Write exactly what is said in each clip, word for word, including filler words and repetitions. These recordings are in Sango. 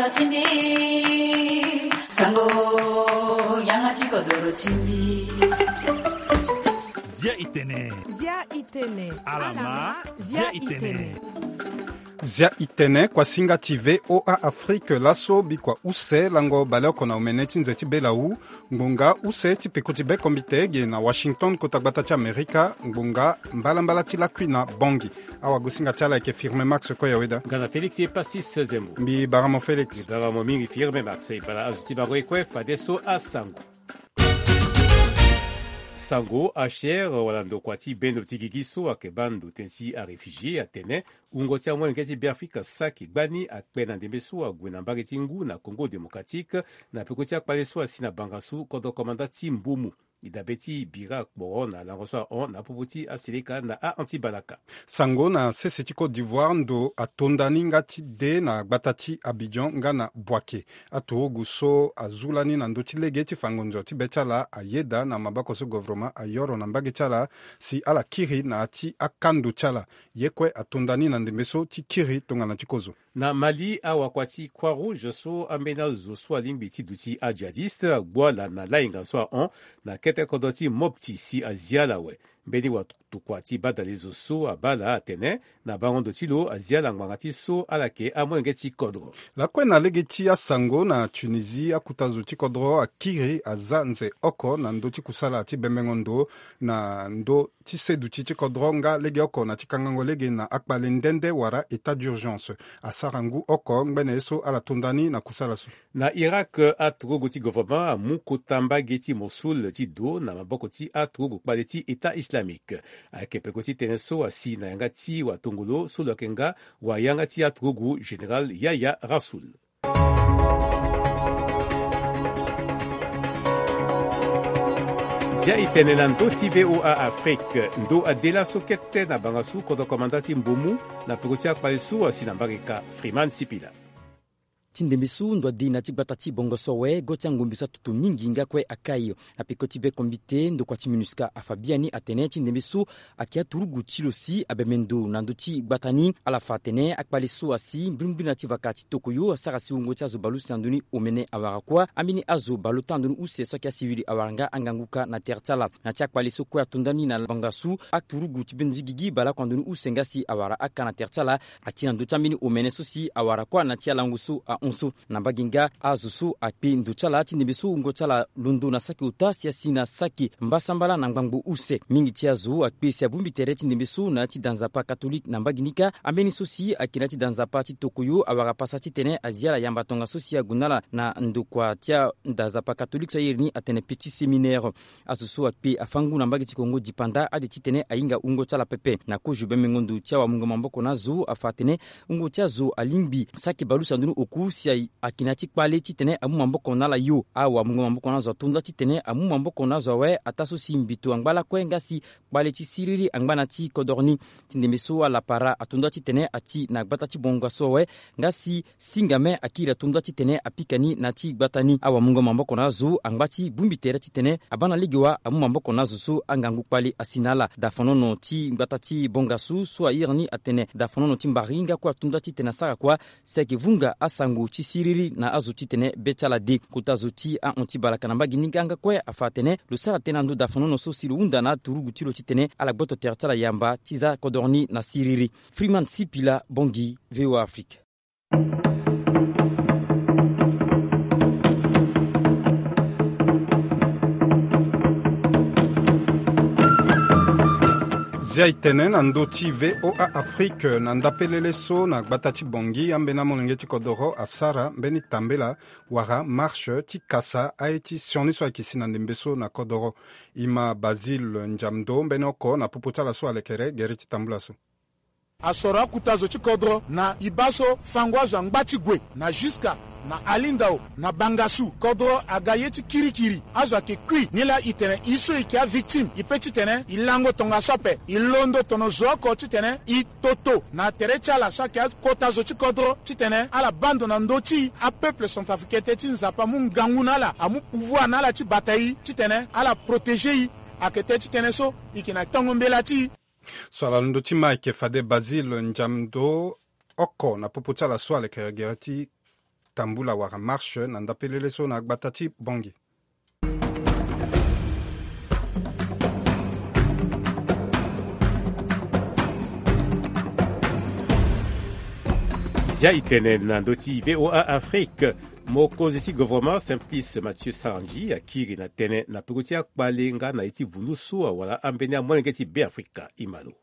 Timbi, sango, yanga ti kodoro timbi. Zia itene. Zia itene. Alama, zia itene. Zia itene, kuasinga ti V O A Afrique laso, bikua use lango baleoko na omene ti nze ti belawu. Ngbonga use ti peko ti bekombite ge na Washington, kota gbata ti Amerika, ngbonga mbalambala ti lakui na Bangui. Awagosinga ti ala ayeke Firme Max Koyaweda. Nga na Félix Epasis Zembo. Mbi baramo Félix. Mbi baramo mingi Firme Max. E bala azo ti bango e kue fadeso asango. Sango, H C R wala ndokua ti bendo ti gigi so ayeke baa ndo tënë ti aréfugié atene wungo ti amolenge ti Beafrika saki gbani akpe na ndembe so ague na mbage ti ngu na Congo Démocratique, na peko ti akpale so asi na bangasu kodro komanda ti Mbomu. E dabe ti bira kporo na lango so ahon na popo ti aseleka na ahon ti balaka. Sango, na sese ti Côte d'Ivoire, ndo atonda ni nga ti de na gbata ti Abidjan nga na Boaké. Aturugu so azu lani na ndö ti lege ti fa ngonzo ti be ti ala ayeda na maboko so govoroma ayoro na mbage ti ala si ala kiri na ya ti akando ti ala. Ye kue atonda ni na ndembe so ti kiri tongana ti kozo. Na Mali, awakua ti Croix Rouge so ambeni azo so alingbi ti duti ajihadiste agbu ala na lainga so ahon na kete kodro ti Mopti si azi ala awe. Mbeni watokua ti badale zo so abaa ala atene na bango ndo ti lo azi ala ngbanga ti so ala yeke amolenge ti kodro. Lakue na lege ti asango, na Tunisie, akuta zo ti kodro akiri aza nze oko na ndö ti kusala ti bembengo ndo na ndö ti seduti ti kodro nga legeoko na ti kangango lege na akpale nde nde wala état d'urgence. Asara ngu oko ngbene ye so ala tonda ni na kusala so. Na Irak, aturugu ti govoroma amu kota mbage ti Mosul ti do na maboko ti aturugu kpale ti État Islamique. Ayeke peko ti tënë so asi na yanga ti watongolo so lo yeke nga wayanga ti aturugu, Général Yahya Rassoul. Zia itene na ndö ti V O A Afrique. Ndo ade laso kete na bangasu kodro komanda ti Mbomu na peko ti akpale so asi na mbage ka. Freeman Sipila. Ti ndembe so ndo ade na ti gbata ti bongo so awe, go ti angombe so atutu mingi nga kue akai. Na peko ti bekombite, ndokua ti MINUSCA afa biani atene ti ndembe so ayeke aturugu ti lo si abembe ndo na ndö ti gbata ni. Ala fa atene akpale so asi mbrimbri na ti vaka ti tokoyo asara si wungo ti azo bale use na ndö ni omene awara kuâ. Ambeni azo bale ota na ndö ni use so ayeke asiwili awara nga angangu ka na tere ti ala. Na ti akpale so kue atonda ni na bangasu, aturugu ti bendo ti gigi baleoko na ndö ni use nga si awara aka na tere ti ala. Ati na ndö ti ambeni omene so si awara kuâ na ti alango so ahon so. Na mbage nga azo so akpe ndo ti ala ti ndembe so wungo ti ala londo na saki ota si asi na saki mbasambala na ngbangbo use. Mingi ti azo akpe si abongbi tere ti ndembe so na ya ti da nzapa katolike na mbage ni kâ. Ambeni so si ayeke na ya ti da nzapa ti tokoyo awara pasa titene azi ala yamba tongaso si ague na ala na ndokua ti ada nzapa katolike so airi ni atene petit séminaire. Azo so akpe afâ ngu na mbage ti Kongo dipanda ade titene ahinga wungo ti ala pepe. Na kozo bembengo ndo ti awamungo maboko na azo afa atene wungo ti azo alingbi saki bale use na ndö ni oku si a, ayeke na ya ti kpale titene amu maboko na ala yo. Awamungo maboko na azo atonda titene amu maboko na azo awe ataa so si mbito angba lakue nga si kpale ti siriri angba na ti kodoro ni. Ti ndembe so alapara atonda titene ati na gbata ti bonga so awe nga si singame akiri atonda titene apika ni na ti gbata ni. Awamungo maboko na azo angba ti bongbi tere titene abaa na lege wa amu maboko na azo so angangu kpale asi na ala. Dafanono ti gbata ti bongasu so airi ni atene dafanono ti mbari nga kue atonda titene asara kuâ si ayeke vunga asango ti siriri na azo titene be ti ala de. Kota zo ti ahon ti balaka na mbage ni nga nga kue afa atene lo sara tënë na ndö dafanono so si lo hunda na aturugu ti lo titene ala gboto tere ti ala yamba ti za kodoro ni na siriri. Freeman Sipila, Bangui, V O A Afrique. Zia e tene na ndö ti V O A Afrique na ndapelele so na gbata ti Bangui, ambeni amolenge ti kodoro asara mbeni tambela wala marche ti kasa aye ti sioni so ayeke si na ndembe so na kodoro. E ma Basile Ndiamdo mbeni oko na popo ti ala so alekere gere ti tambula so. Asoro akuta zo ti kodro na e baa so fango azo angba ti gue na Juska, na Alindao, na Bangassou. Kodro aga ye ti kirikiri. Azo ayeke kui. Nilaa e tene e so e yeke avictime, e pe titene e lango tongaso ape. E londo tono zo oko titene e toto na tere ti ala so ayeke akota zo ti kodro titene ala baa ndo na ndö ti apeuple centrafricain, ti Nzapa amu ngangu na ala, amu pouvoir na ala ti bata e titene ala protéger e. Ayeke tënë ti tënë so e yeke na tongo mbela ti e. So ala londo ti ma ayeke fade Basile Ndiamdo oko na popo ti ala so alekere gere ti tambula wala marche na ndapelele so na gbata ti Bangui. Zia itene na ndö ti VOA Afrique. Mokonzi ti gouvernement Simplice Mathieu Sarandji akiri na tënë na peko ti akpale nga na ye ti vundu so awara ambeni amolenge ti Beafrika. Imalo.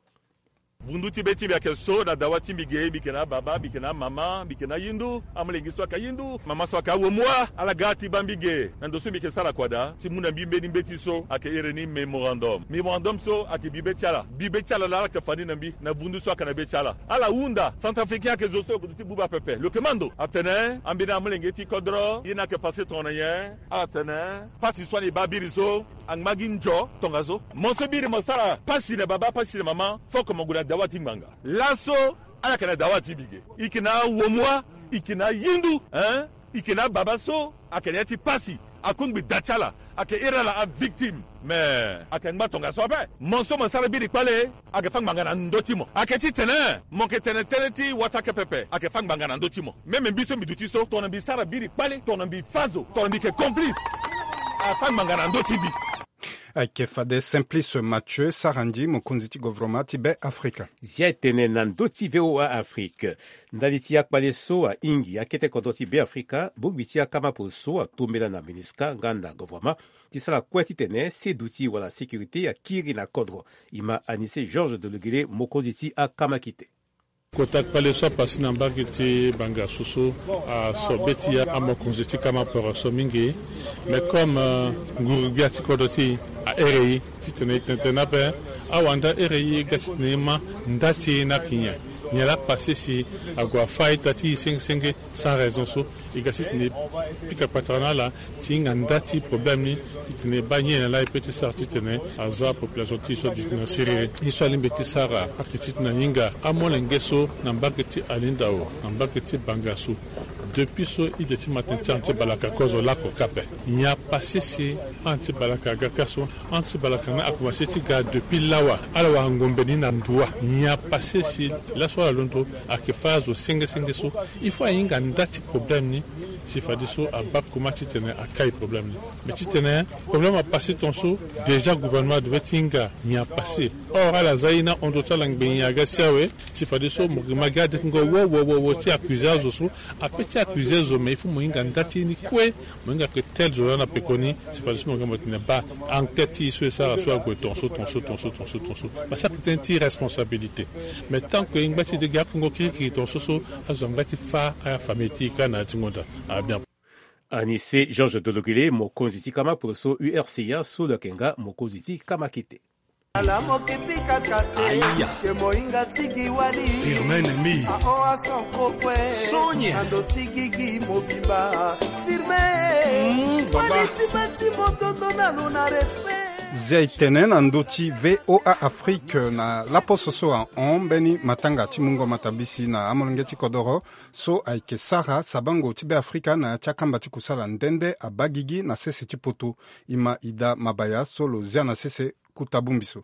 Vundu ti be ti mbi ayeke so na dawa ti mbi ge, mbi yeke na ababa, mbi yeke na amama, mbi yeke na ayindu, amolenge so ayeke ayindu, mama so ayeke awomua. Ala ga ti baa mbi ge na ndo so mbi yeke sara kua daa ti mu na mbi mbeni mbeti so ayeke iri ni mémorandum. Mémorandum so ayeke bibe ti ala. Bibe ti ala laa ala yeke fa ni na mbi na vundu so ayeke na be ti ala. Ala hunda, Centrafricain ayeke zo so lo yeke zo ti buba pepe. Lo yeke ma ndo atene ambeni amolenge ti kodro ye ni ayeke passé tongana nyen? Ala tene pasi so ani baa biri so angba gi nzo tongaso. Mo so biri mo sara pasi na baba, pasi na mama, fo oko mo gue na dawa ti ngbanga. Laso ala yeke na dawa ti mbi ge. I yeke na awomua, i yeke na ayindu, hein? I yeke na ababa so ayeke na ya ti pasi. Akungbi da ti ala, ayeke iri ala avictime. Me ayeke ngba tongaso ape. Mo so mo sara biri kpale, ayeke fâ ngbanga na ndö ti mo. Ayeke titene mo yeke tene tënë ti wata ake pepe, ayeke fâ ngbanga na ndö ti mo. Même mbi so mbi duti so, tongana mbi sara biri kpale, tongana mbi fâ zo, tongana mbi yeke complice, afâ ngbanga na ndö ti mbi. Ayeke fade Simplice Mathieu Sarandji, mokonzi ti gouvernement ti Beafrika. Zia etene na ndö ti VOA Afrique. Ndali ti akpale so ahingi akete kodro ti Beafrika, bongbi ti akama polo so atombela na MINUSCA nga na gouvernement ti sara kue titene seduti wala sécurité akiri na kodro. E ma Anissé Georges de Legele, mokonzi ti akama kite. Kota kpale so apasé na mbage ti Bangassou so, aso be ti amokonzi ti kama poro so mingi. Mais comme, euh, nguru-gbia ti kodro ti e ahere e titene e tene tënë ape, awanda ahere e ga titene e ma nda ti e ni ayeke nyen? Nyen laa apasé si ague afâ ita ti e senge senge sans raison so? E ga titene e pika kpatara na ala ti hinga nda ti problème ni, titene e baa nyen na laa e peut ti sara titene aza population ti e so aduti na siriri. Ye so alingbi ti sara ayeke titene ahinga amolenge so na mbage ti Alindao, na mbage ti Bangassou. Depuis so ide ti matin ti anti-balaka kozo lako kâ ape. Nyen apasé si anti-balaka aga kâ so? Anti-balaka ni akomanse ti ga depuis lawa. Ala wara ngombe ni na nduâ. Nyen apasé si laso ala londo ayeke fâ azo senge senge so? Il faut ahinga nda ti problème ni si fadeso abaa koma titene akai problème ni. Mais titene problème apasé tongaso, déjà gouvernement devait ti hinga nyen apasé. Or ala za ye ni ahon ndo ti ala ngbenye aga si awe. Si fadeso mo yeke ma gi adekungo wo wo wo wo ti accusé azo so. Ape ti accusé zo, mais il faut mo hinga nda ti ye ni kue. Mo hinga ke tel zo laa na pekoni, si fadeso mo yeke mo tene baa enquête ti e so e sara so ague tongaso tongaso tongaso tongaso tongaso. Parce que ayeke tënë ti responsabilité. Mais tant que e ngba ti de gi akongo kirikiri tongaso so, azo angba ti fâ afamille ti e kâ na ya ti ngonda. Ah bien. Anissé Georges de Legele, mokonzi ti kama polo so U R C A so lo yeke nga mokonzi ti kama kete. Ala mo ke pika kate, ke mohinga ti gi wali. Firme ennemi. Aho ason kokue. Sonye. Na ndo ti gigi mobimba. Firme. Mm, baba. Wali ti bâ ti motondo na lo na respect. Zia etene na ndö ti VOA Afrique na laposo so ahon mbeni matanga ti mungo matabisi na amolenge ti kodoro so ayeke sara sabango ti Beafrika na ya ti akamba ti kusala nde nde abaa gigi na sese ti poto. E ma Ida Mabaya so lo zia na sese kota bongbi so.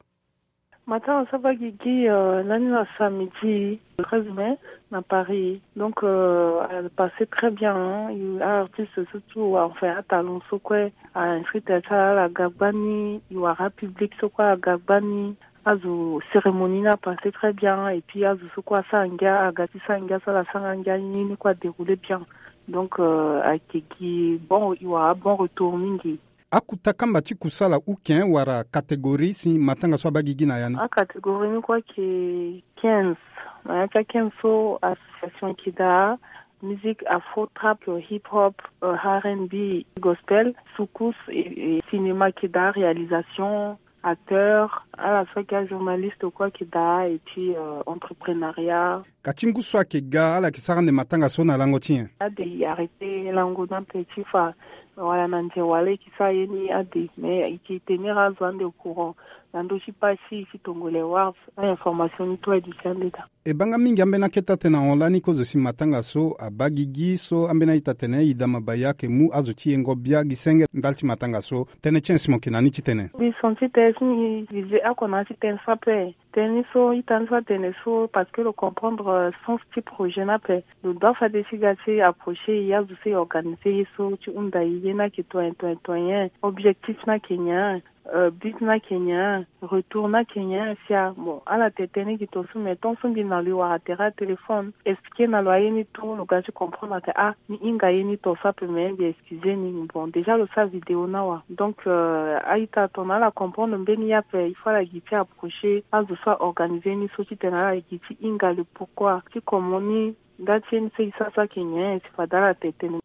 Matanga so abaa gigi, euh, lani na samedi treize mai na Paris. Donc, euh, a passé très bien, hein. Artiste so tout, enfin, atalon so kue a inscrit ti ala, ala ga gbani, e wara public so kue aga gbani. Azo cérémonie ni a passé très bien, et puis azo so kue asara ngia aga ti sara ngia so ala sara ngia ni ni kue a déroulé bien. Donc, euh, ayeke gi bon, e wara bon retour mingi. Akota kamba ti kusala uken wala catégorie si matanga so abaa gigi na ya ni? Acatégorie ni kue ayeke quinze. Na ya ti a quinze so association ayeke daa, musique afro, trap, hip hop, euh, R and B, gospel, soukous, et, et cinéma ayeke daa, réalisation, acteur, ala so ayeke ajournaliste kue ayeke daa, et puis, euh, entrepreneuriat. Ka ti ngu so ayeke ga, ala yeke sara ande matanga so na lango ti nyen? Ade e arrêté lango ni ape ti fa wala na nze wala e yeke sara ye ni ade, mais e yeke tenir azo ande au courant na ndö ti page ti e ti Tongolais Awards. A-information ni tout aduti ande daa. E baa nga mingi ambeni akete atene ahon lani kozo si matanga so abaa gigi so ambeni a-ita atene Ida Mabaya ayeke mu azo ti yengo bia gi senge ndali ti matanga so. Tënë ti nyen si mo yeke na ni ti tene? Mbi senti tene si mbi visé oko na ya ti tënë so ape. Tënë ni so ita ni so atene so parce que lo comprendre, euh, sens ti projet ni ape. Lo doit fade ti ga ti approcher e azo so e organiser ye so ti hunda e ye ni ayeke toyen toyen toyen. Objectif ni ayeke nyen? Euh, but ni ayeke nyen? Retour ni ayeke nyen? Sia bon, ala tene tënë gi to so, mais tant so mbi na lo e wara tere atéléphone, expliquer na lo aye ni tout, lo ga ti comprendre ake ah, mbi hinga ye ni to so ape, mais mbi excusez ni. Bon, déjà lo sara vidéo ni awa. Donc, euh, a-ita tongana ala comprendre mbeni ye ape, il faut ala gi ti approcher azo so a organiser ni so titene ala gi ti hinga le pourquoi ti comment ni nda ti ye ni so e sara so ayeke nyen, si fade ala tene tënë.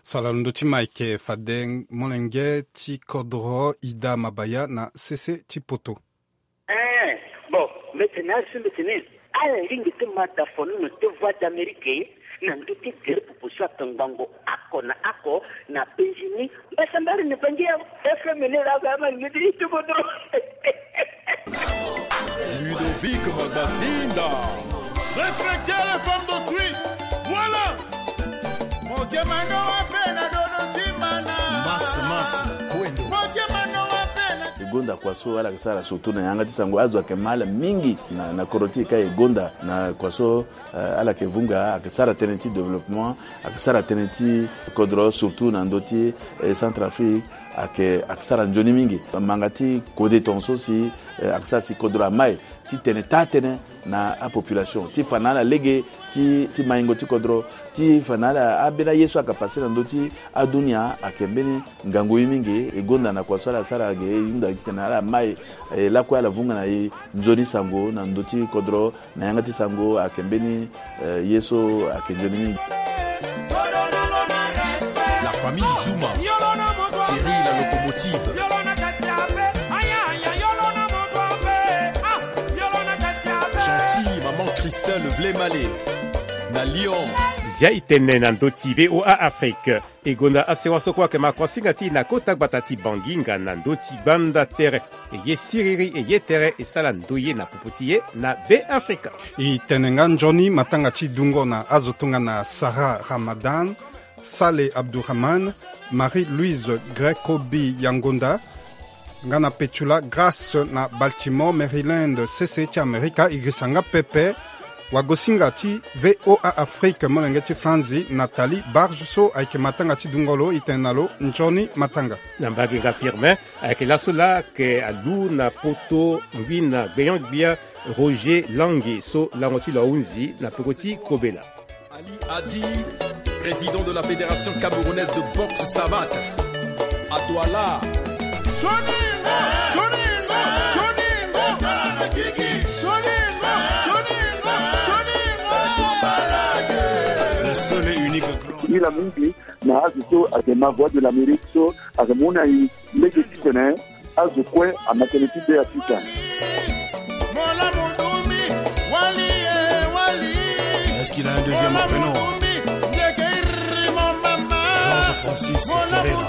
So ala londo ti ma ayeke fade molenge ti kodro Ida Mabaya na sese ti poto. Eh, bon, mbi tene azo so mbi tene ala lingbi ti ma dafono na te Voix d'Amérique na ndö ti tere popo so ake ngbongo oko na oko na penzi ni. Mbasambari na Bangi ya F M ni laa, ba ma lingbi ti kodro. Ludovic Magasinda. Respectez les femmes d'autrui. Voilà. Motema ndo wape na dodo ntima na. Max, Max, Wendo. Motema ndo wape na. E gonda kua so ala yeke sara surtout na yanga ti sango, azo ayeke ma ala mingi na, na kodro ti e ka e gonda na kua so, eh, ala yeke vunga, ayeke sara tënë ti développement, ayeke sara tënë ti kodro surtout na ndö ti, eh, Centrafrique, ayeke, ayeke sara nzoni mingi. Manga ti kode tongaso si, eh, ayeke sara si kodro ama e ti tene taa tënë na apopulation, ti fa na ala lege ti, ti maingo ti kodro, ti fa na ala ambeni aye so ayeke pase na ndö ti adunia, ayeke mbeni ngangu ye mingi. E gonda na kua so ala sara ge, e hunda titene ala ma e, e lakue ala vunga na e nzoni sango na ndö ti kodro, na yanga ti sango ayeke mbeni, eh, ye so ayeke nzoni mingi. La famille Zuma, Thierry la locomotive, Gentil, maman Christelle Vlemale, na Lyon. Zia e tene na ndö ti V O A Afrique. E gonda asewa so kue ayeke ma kuasinga ti e na kota gbata ti Bangi nga na ndö ti gbanda tere. E ye siriri, e ye tere, e sala ndoye na popo ti e na Be Afrika. E tene nga nzoni matanga ti dungo na azo tongana Sarah Ramadan, Saleh Abdourahmane, Marie-Louise Grecobi Yangonda, nga na Petula Grace na Baltimore, Maryland, sese ti Amerika. E girisa nga pepe wagosinga ti V O A Afrique, molenge ti Franzi, Nathalie Barge, so ayeke matanga ti dungo lo. E tene na lo nzoni matanga. Na mbage nga Firmin, ayeke laso laa ayeke alu na poto ngbi na gbenyo-gbia Roger Langi so lango ti lo ahunzi na peko ti kobela. Ali Adi, président de la Fédération camerounaise de boxe savate. À toi là. Le seul et unique grand. Ila mingi na azo so ayeke ma Voix de l'Amérique so ayeke mu na e lege titene azo kue ama tënë ti Be Afrika. Est-ce qu'il a un deuxième prénom? Georges Francis Ferreira.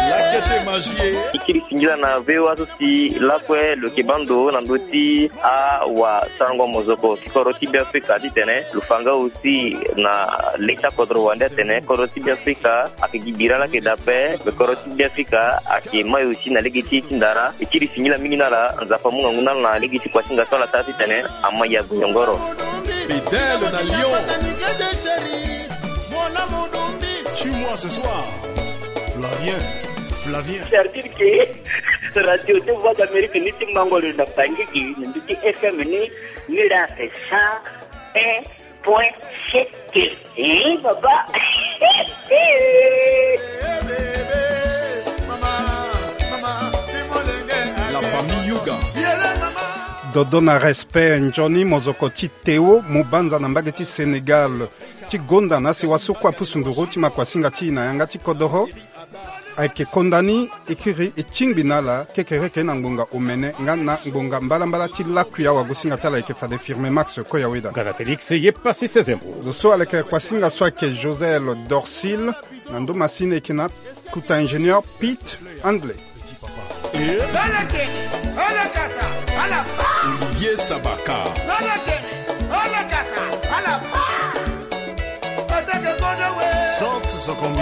Lakete magie. E kiri singila na V O A so si lakue lo yeke baa ndo na ndö ti awasarango mozoko ti kodro ti Be Afrika titene lo fa nga aussi na le ti akodro wande atene kodro ti Be Afrika ayeke gi bira laa ayeke daa ape. Me kodro ti Be Afrika ayeke ma e aussi na lege ti e ti ndara. E kiri singila mingi na ala, Nzapa amu ngangu na ala na lege ti kuasinga so ala sara titene ama e ague nyongoro. Bidel na Lyon. Tue-moi ce soir. Flavien, Flavien. C'est-à-dire que Radio de Voix d'Amérique ni ti mango lo na Bangui, na ndö ti F M ni, ni laa c'est cent un point sept. Eh, papa. La famille Yuga. Dodo na respect, nzoni mozoko ti Théo Mubanza na mbage ti Sénégal. Ti gonda na asewa so kue apusu nduru ti ma kuasinga ti e na yanga ti kodoro. Ayeke konda ni, e kiri e tingbi na ala kekereke na ngbonga omene nga na ngbonga mbalambala ti lakui. Awagosinga ti ala ayeke fade Firmin Max Koyaweda. Nga na Félix Yepasi Sezembo. Zo so ala yeke kuasinga so ayeke Josel Dorsil, na ndo masini e yeke na kuta ingénieur Pete Handley. Olivier Sabaka. Sante Sokombi.